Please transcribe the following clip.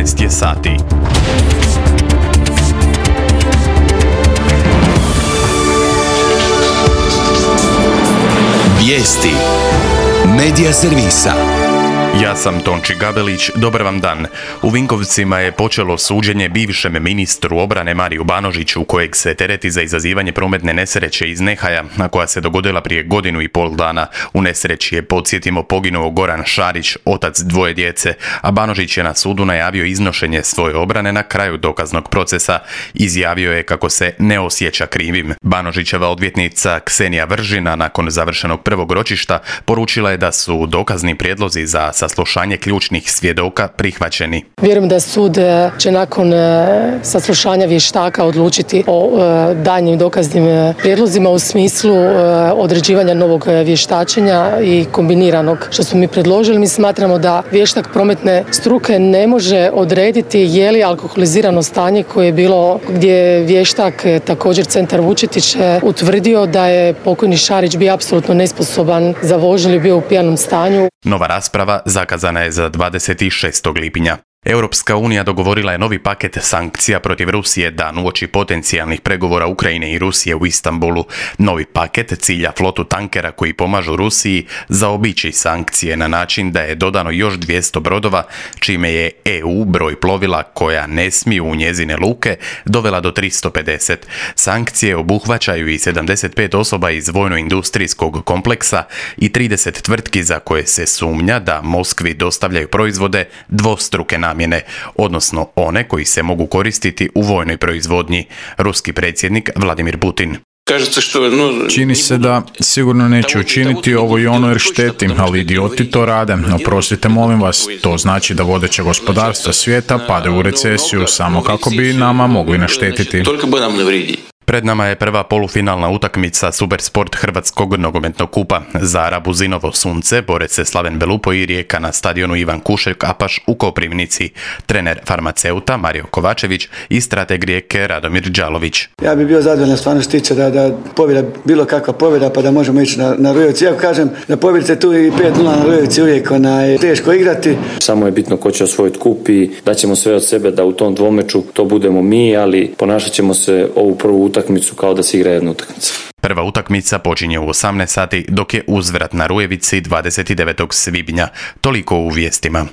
12 je sati. Vijesti Medija servisa. Ja sam Tonči Gabelić, dobar vam dan. U Vinkovcima je počelo suđenje bivšem ministru obrane Mariju Banožiću, kojeg se tereti za izazivanje prometne nesreće iz nehaja, a koja se dogodila prije 1,5 dana. U nesreći je, podsjetimo, poginuo Goran Šarić, otac 2 djece, a Banožić je na sudu najavio iznošenje svoje obrane na kraju dokaznog procesa. Izjavio je kako se ne osjeća krivim. Banožićeva odvjetnica Ksenija Vržina nakon završenog prvog ročišta poručila je da su dokazni prijedlozi za saslušanje ključnih svjedoka prihvaćeni. Vjerujem da sud će nakon saslušanja vještaka odlučiti o daljnjim dokaznim prijedlozima u smislu određivanja novog vještačenja i kombiniranog što smo mi predložili. Mi smatramo da vještak prometne struke ne može odrediti je li alkoholizirano stanje koje je bilo, gdje je vještak također Centar Vučetić utvrdio da je pokojni Šarić bio apsolutno nesposoban za vožnju ili bio u pijanom stanju. Nova rasprava zakazana je za 26. lipnja. Europska unija dogovorila je novi paket sankcija protiv Rusije dan uoči potencijalnih pregovora Ukrajine i Rusije u Istanbulu. Novi paket cilja flotu tankera koji pomažu Rusiji zaobići sankcije na način da je dodano još 200 brodova, čime je EU broj plovila koja ne smiju u njezine luke dovela do 350. Sankcije obuhvaćaju i 75 osoba iz vojno-industrijskog kompleksa i 30 tvrtki za koje se sumnja da Moskvi dostavljaju proizvode dvostruke namjene, odnosno one koji se mogu koristiti u vojnoj proizvodnji. Ruski predsjednik Vladimir Putin. Čini se da sigurno neće učiniti ovo i ono jer štetim, ali idioti to rade. Oprostite, molim vas, to znači da vodeća gospodarstva svijeta padaju u recesiju samo kako bi nama mogli naštetiti. Pred nama je prva polufinalna utakmica Supersport Hrvatskog nogometnog kupa. Za Rabuzinovo sunce bore se Slaven Belupo i Rijeka na stadionu Ivan Kušek-Apaš u Koprivnici. Trener farmaceuta Mario Kovačević i strateg Rijeke Radomir Đalović. Ja bih bio zadovoljan stvarno stiče da pobjeda, bilo kakva pobjeda pa da možemo ići na Rujevci. Ja kažem da pobjedite tu i 5-0 na Rujevci uvijek teško igrati. Samo je bitno ko će osvojiti kup i daćemo sve od sebe da u tom dvomeču to budemo mi, ali ponašat ćemo se ovu prvu utakmicu kao da se igra jedna utakmica. Prva utakmica počinje u 18 sati, dok je uzvrat na Rujevici 29. svibnja. Toliko u vijestima.